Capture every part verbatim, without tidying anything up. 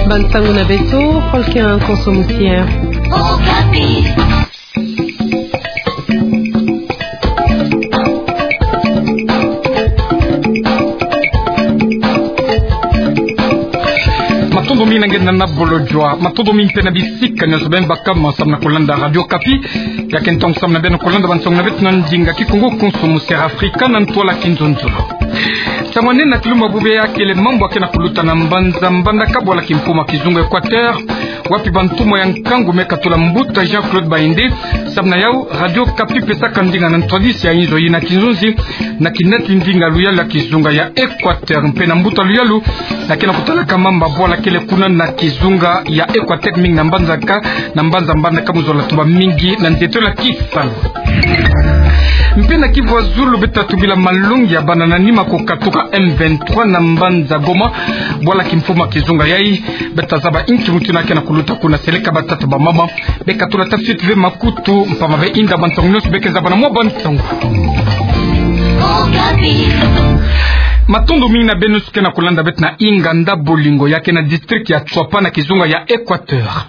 Bansango na beto, Paul Ken Konso Musien. Okapi. Matondo mingi na nge na bolojwa, matondo mingi mpe na bisika nyonso beno baka ma samu na kolanda Radio Okapi. Ya ke ntangu samu na beno kolanda bansango na beto na ndinga Kikongo, Konso Musien, Afrika na ntwala Kinzonzolo. Nsangu nene na kilumbu bubu ya kele mambu ya ke na kuluta na mbanza mbandaka bwala kimfumu ya kizunga Equateur, wapi bantumwa ya nkangu me katula mbuta Jean-Claude Baïndé. Samu na yau, Radio Okapi pesaka ndinga na ntwadisi ya inzo yina ya kinzonzi na kinati ndinga luyalu ya kizunga ya Equateur, mpe na mbuta luyalu na ke na kutalaka mamba bwala kele kuna na kizunga ya Equateur, mingi na mbanza ka, na mbanza mbandaka mu zola tuba mingi na nzietolo ya kisalu. Mpe na Kivu ya zulu beto ta tubila malongi ya bana na nima kukatuka M vingt-trois na mbanza Goma bwala kimfumu ya kizunga yai. Beto ta zaba inki mutindu ya ke na kuluta kuna, seleka batata, bamama, be katula tafiti ve makutu, mpamba ve inda bansango nyonso be ke zaba na mwa bansango. Matondo mingi na beno nyonso ke na kulanda beto na inganda Bolingo ya ke na district ya Tswapa na kizunga ya Equateur.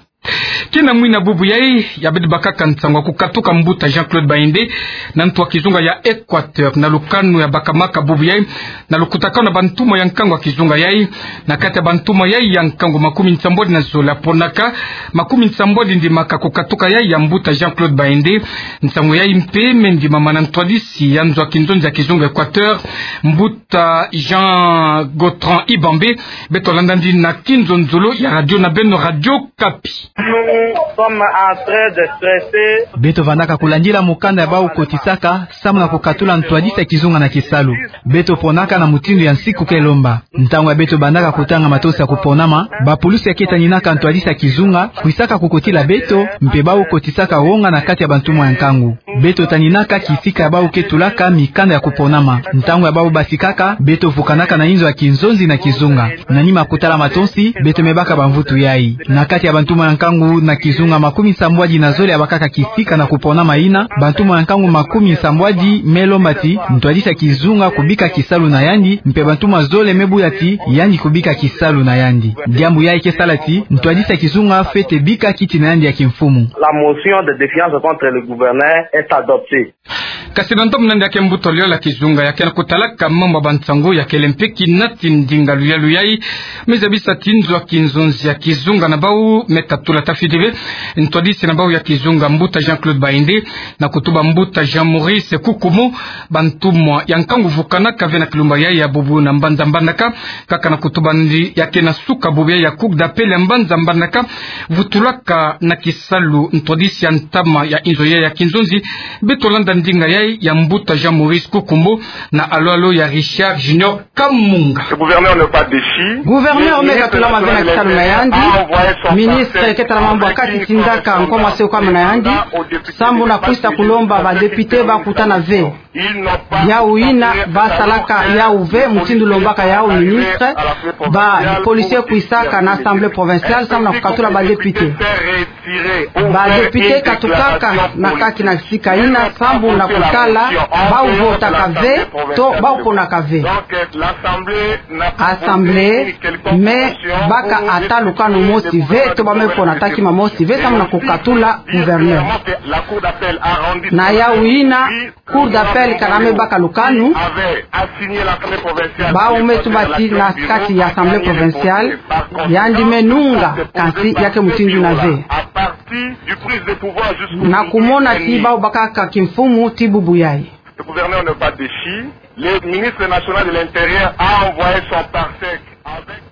Kina mwina bubu yai ya beto bakaka nsangu ya kukatuka mbuta Jean-Claude Baïndé na ntu ya kizunga ya Equateur, na lukanu ya bakamaka bubu yai na lukutakanu na bantumwa ya nkangu ya kizunga yai. Na kati ya bantumwa yai ya nkangu, makumi nsambwadi na zole ya ponaka, makumi nsambwadi ndimaka kukatuka yai ya mbuta Jean-Claude Baïndé. Nsangu yai mpe me ndimama na ntwadisi ya nzo ya kinzonzi ya kizunga Equateur, mbuta Jean Gautran Ibambe. Beto landa ndinga na kinzonzolo ya radio na beno, Radio Okapi. Nous sommes en train de traiter. Beto vandaka kulandila mukanda ya bau kotisaka samu na kukatula ntwadisi ya kizunga na kisalu. Beto ponaka na mutindu ya nsiku ke lomba. Ntangu ya beto bandaka kutanga matosi ya kuponama, bapulusi ya ke taninaka ntwadisi ya kizunga kwisaka kukotila beto, mpe bau kotisaka wonga na kati ya bantumwa ya nkangu. Beto taninaka kisika ya bau ke tulaka mikanda ya kuponama. Ntangu ya bau basikaka, beto vukanaka na inzo ya kinzonzi na kizunga. Na nima kutala matosi, beto me baka bamvutu yai. Na kati ya bantumwa ya nkangu na kizunga, makumi nsambwadi na zole ya bakaka kisika na kuponama yina, bantumwa ya nkangu makumi nsambwadi me lomba ti ntwadisi ya kizunga kubika kisalu na yandi, mpe bantumwa zole me buya ti yandi kubika kisalu na yandi. Diambu yai ke sala ti ntwadisi ya kizunga fwete bika kiti na yandi ya kimfumu. La motion de défiance contre le gouverneur est adoptée. Kasi na ntomo na yandi ya ke mbuta luyalu ya kizunga ya ke na kutalaka mambu ya bansangu ya kele mpe kinati ndinga luyalu yai, me zabisa ti nzo ya kinzonzi ya kizunga na bau me katula tafiti ve ntwadisi na bau ya kizunga, mbuta Jean-Claude Baïndé, na kutuba mbuta Jean-Maurice Kukumo. Bantumwa ya nkangu vukanaka ve na kilumbu yai ya bubu na mbanza mbandaka, kaka na kutuba ndi ya ke na suka bubu yai ya Cour d'appel ya mbanza mbandaka vutulaka na kisalu ntwadisi ya ntama ya inzo yai ya kinzonzi. Beto landa ndinga yai ya mbuta Jean-Maurice Kukumo na alo-alo ya Richard Junior Kamunga. Ce gouverneur n'est pas déchu. Gouverneur me katulama ve na kisalu na yandi. Ministre ke tala mambu ya kati tindaka nkwa mase kwa muna yandi, sambu na kwisa kulomba ba député ba kutana ve. Yau yina ba salaka yau ve mutindu lombaka yau ministre, ba policier kwisaka na assemblée provinciale sambu na kukatula ba député. Ba député katukaka na kati na sika yina sambu na kutala bau votaka ve to bau ponaka ve. Assemblée me baka ata lukanu mosi ve to ba me pona ata kima mosi ve sambu na kukatula gouverneur. Na yau yina, Cour d'appel kana me baka lukanu, bau me tuba ti na kati ya assemblée provinciale, yandi me nunga, kansi ya ke mutindu yina ve. Na kumona ti bau bakaka kimfumu ti bubu yai. Le gouverneur n'est pas déchu. Le ministre national de l'Intérieur a envoyé son parsec avec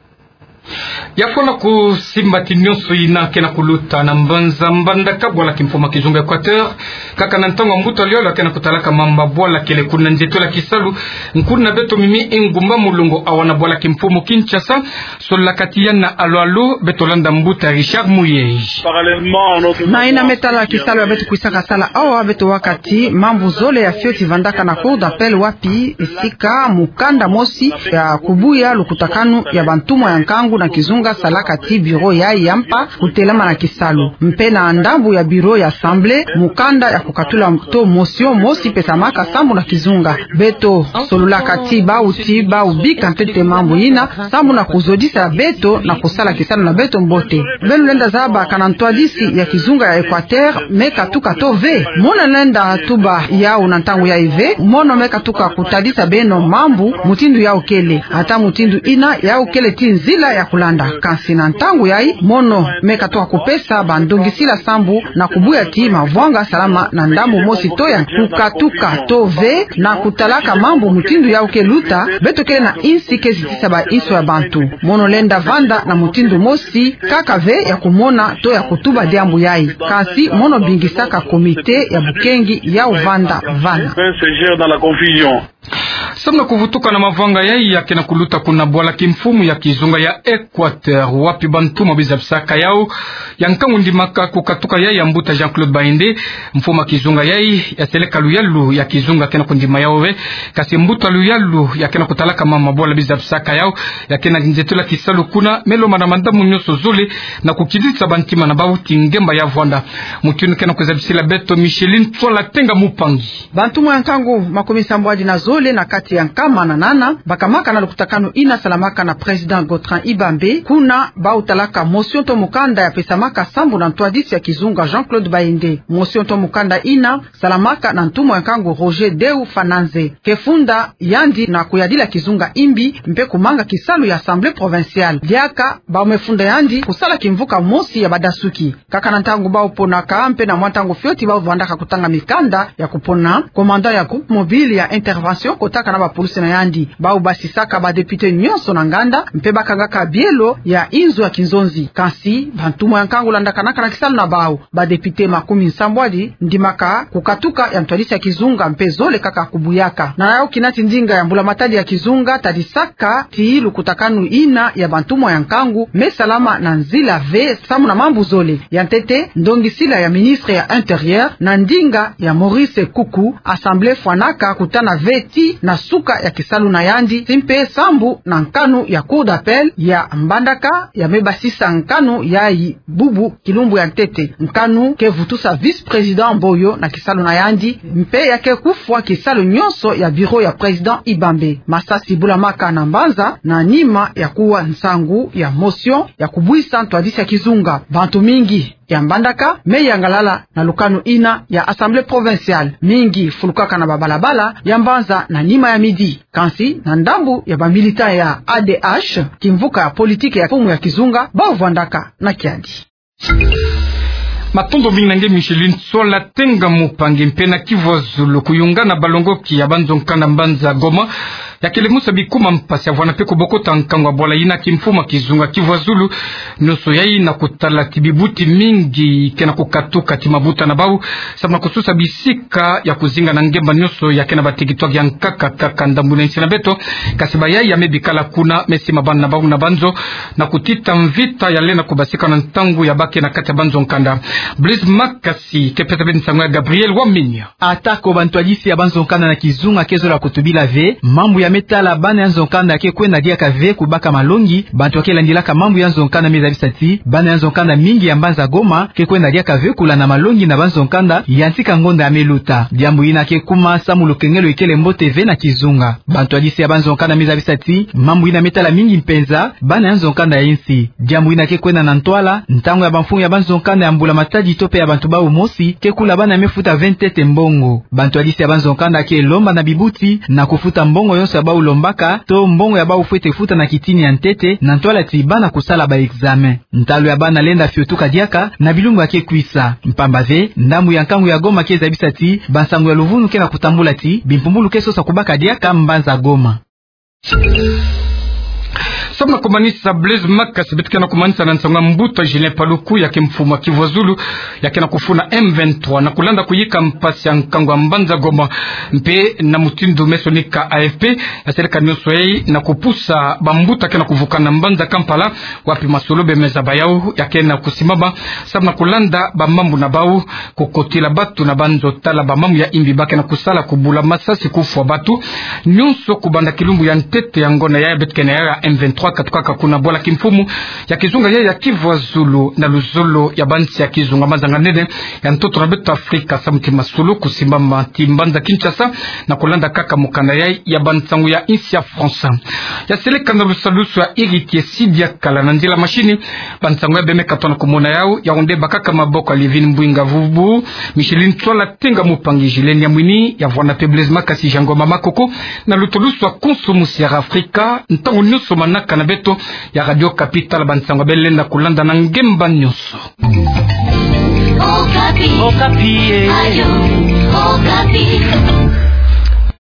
Ya fwana kusimba ti nyonso yina ke na kuluta na mbanza mbandaka bwala kimfumu ya kizunga Equateur, kaka na ntangu ya mbuta luyalu ya ke na kutalaka mamba bwala kele kuna nzietolo ya kisalu. Nkuna beto Mimi Ingumba Mulongo awa na bwala kimfumu Kinshasa, solaka ti ya na alo-alo. Beto landa mbuta Richard Muyej. Na yina me tala kisalu ya beto kwisaka sala awa, beto waka ti mambu zole ya fioti vandaka na Cour d'appel, wapi sika mukanda mosi ya kubuya lukutakanu ya bantumwa ya nkangu na kizunga Ka salaka ti bureau yayi ya mpa kutelama na kisalu. Mpe na ndambu ya bureau ya Assemblée, mukanda ya kukatula to motion mosi pesamaka sambu na kizunga. Beto sololaka ti bawu ti bawu bika ntete mambu yina, sambu na kuzodisa beto na kusala kisalu na beto mbote. Beno lenda zaba kana ntwadisi ya kizunga ya Équateur me katuka to ve? Mono lenda tuba yawu na ntangu yayi ve, mono me katuka kutadisa beno mambu mutindu yawu kele. Ata mutindu yina, yawu kele ti nzila ya kulanda. Kansi na ntangu yayi, mono me katuka kupesa bandongisila sambu na kubuya ti mavwanga salama na ndambu mosi to ya kukatuka to ve, na kutalaka mambu mutindu yawu ke luta, beto kele na insi ke zitisa ba inso ya bantu. Mono lenda vanda na mutindu mosi kaka ve ya kumona to ya kutuba diambu yayi. Kansi mono bingisaka comité ya bukengi yawu vanda vana. Sambu na kuvutuka na mavwanga yayi ya ke na kuluta kuna bwala kimfumu ya kizunga ya Équateur, wapi bantumwa bizabisaka yawu ya nkangu ndimaka kukatuka yayi ya mbuta Jean-Claude Bayende, mfumu ya kizunga yayi ya seleka luyalu ya kizunga ke na kundima yawu ve. Kansi mbuta luyalu ya ke na kutalaka mama bwala bizabisaka yawu ya ke na nzetula kisalu kuna, me lomba na mandambu nyonso zole na kukidisa bantima na bawu ti ngemba ya vwanda. Mutindu ke na kuzabisila beto Micheline Tsola Tenga Mupangi. Bantumwa ya nkangu makumi sambwadi na zole na kati ya nkama na nana bakamaka na lukutakanu yina salamaka na président Gotrand Ibambe, kuna bawu talaka motion to mukanda ya pesamaka sambu na ntwadisi ya kizunga Jean-Claude Bayende. Motion to mukanda yina salamaka na ntumwa ya nkangu Roger Deu Fananze. Ke funda yandi na kuyadila kizunga imbi mpe kumanga kisalu ya Assemblée provinciale. Diaka bawu me funda yandi kusala kimvuka mosi ya badasuki. Kaka na ntangu bawu ponaka mpe na mwa ntangu fioti bawu vandaka kutanga mikanda ya kupona commandant ya groupe mobile ya intervention kotaka na bapulusi na yandi. Bawu basisaka badéputé nyonso na nganda mpe bakangaka bielo ya inzo ya kinzonzi. Kansi bantumwa ya nkangu landakanaka na kisalu na bawu. Badéputé makumi sambwadi ndimaka kukatuka ya ntwadisi ya kizunga mpe zole kaka kubuyaka. Na yawu kina ti ndinga ya mbula matadi ya kizunga tadisaka ti lukutakanu yina ya bantumwa ya nkangu me salama na nzila ve sambu na mambu zole. Ya ntete, ndongisila ya ministre ya Intérieur na ndinga ya Maurice Kuku, Assemblée fwanaka kutana ve ti na suka ya kisalu na yandi, ti mpe sambu na nkanu ya Cour d'appel ya Mbandaka ya me basisa nkanu yayi bubu kilumbu ya ntete. Nkanu ke vutusa vice-président Mboyo na kisalu na yandi, mpe ya ke kufwa kisalu nyonso ya bureau ya président Ibambe. Masasi bulamaka na mbanza na nima ya kuwa nsangu ya motion ya kubwisa ntwadisi ya kizunga. Bantu mingi ya Mbandaka me yangalala na lukanu yina ya Assemblée provinciale. Mingi fulukaka na babalabala ya mbanza na nima ya midi. Kansi na ndambu ya bamilitant ya A D H, kimvuka ya politique ya mfumu ya kizunga, bawu vandaka na kiadi. Matondo mingi na nge Micheline Tsola Tenga Mupangi. Mpe na Kivu ya Zulu, kuyungana balongoki ya banzo-nkanda mbanza Goma ya kele musa bikuma mpasi ya vwanda mpe kubokota nkangu ya bwala yina kimfumu ya kizunga Kivu ya Zulu. Nyonso yayi na kutala ti bibuti mingi ke na kukatuka ti mabuta na bawu, samu na kususa bisika ya kuzinga na ngemba nyonso ya ke na bateritware ya nkaka kaka ndambu na insi na beto. Kansi bayayi ya me bikala kuna me sima bana na bawu na banzo na kutita mvita ya lenda kubasika na ntangu ya ba ke na kati ya banzo-nkanda. Blaise Makasi ke pesa beno nsangu ya Gabriel Wamenya. Atako bantwadisi ya banzo-nkanda na kizunga ke zola kutubila ve mambu ya me tala bana ya nzo-nkanda, ke kwenda diaka ve kubaka malongi. Bantu ya ke landilaka mambu ya nzo-nkanda me zabisa ti bana ya nzo-nkanda mingi ya mbanza Goma ke kwenda diaka ve kulanda malongi na banzo-nkanda ya ntika ngonda ya me luta. Diambu yina ke kuma samu lukengelo ikele mbote ve na kizunga. Bantwadisi ya banzo-nkanda me zabisa ti mambu yina me tala mingi mpenza bana ya nzo-nkanda ya insi. Diambu yina ke kwenda na ntwala ntangu ya bamfumu ya banzo-nkanda ya mbula matadi to mpe ya bantu bawu mosi ke kula bana ya me futa ve ntete mbongo. Bantwadisi ya banzo-nkanda ke lomba na bibuti na kufuta mbongo yonso ya bawu lombaka to mbongo ya bawu fwete futa na kitini ya ntete na ntwala ti bana kusala ba-examen. Ntalu ya bana lenda fiotuka diaka na bilumbu ya ke kwisa. Mpamba ve, ndambu ya nkangu ya Goma ke zabisa ti bansangu ya luvunu ke na kutambula ti bimpumbulu ke sosa kubaka diaka mbanza Goma. Samu na kumanisa, Blaise Makasi beto ke na kumanisa na nsangu ya mbuta Julien Paluku, ya ke mfumu ya Kivu ya Zulu, ya ke na kufuna M vingt-trois na kulanda kuyika mpasi ya nkangu ya mbanza Goma. Mpe na mutindu me sonika A F P, ya seleka nyonso yayi na kupusa bambuta ke na kuvukana mbanza Kampala, wapi masolo be me zaba yawu ya ke na kusimama, samu na kulanda bamambu na bawu, kukotila batu na banzo, tala bamambu ya imbi ba ke na kusala, kubula masasi, kufwa batu, nyonso kubanda kilumbu ya ntete ya ngonda yayi beto ke na yawu ya M vingt-trois. Katukaka kuna bwala kimfumu ya kizunga ya, ya Kivu ya Zulu na luzolo ya bansi ya kizunga mazanganene ya ntoto na beto Afrika, samu ti masolo kusimbama ti mbanza Kinshasa na kulanda kaka mokanda ya, ya bansango ya insi ya France. Ya seleka na lusalusu ya Héritier Sidiakala na nzila mashini. Bansango ya bemeka tona kumona yau, yau nde bakaka maboko ya Livine Mbwinga Vubu, Micheline Tswala Tenga Mupangi, Julienne Yamwini, ya vwanda pe Blaise Makasi, Jean Ngoma Makoko, na lutulusu ya konso musi ya Afrika, ntangu nyonso manaka na beto ya Radio Kapi tala bansango bele lenda kulanda na ngemba nyonso. Okapi. Okapi, eh. Ayo, Okapi.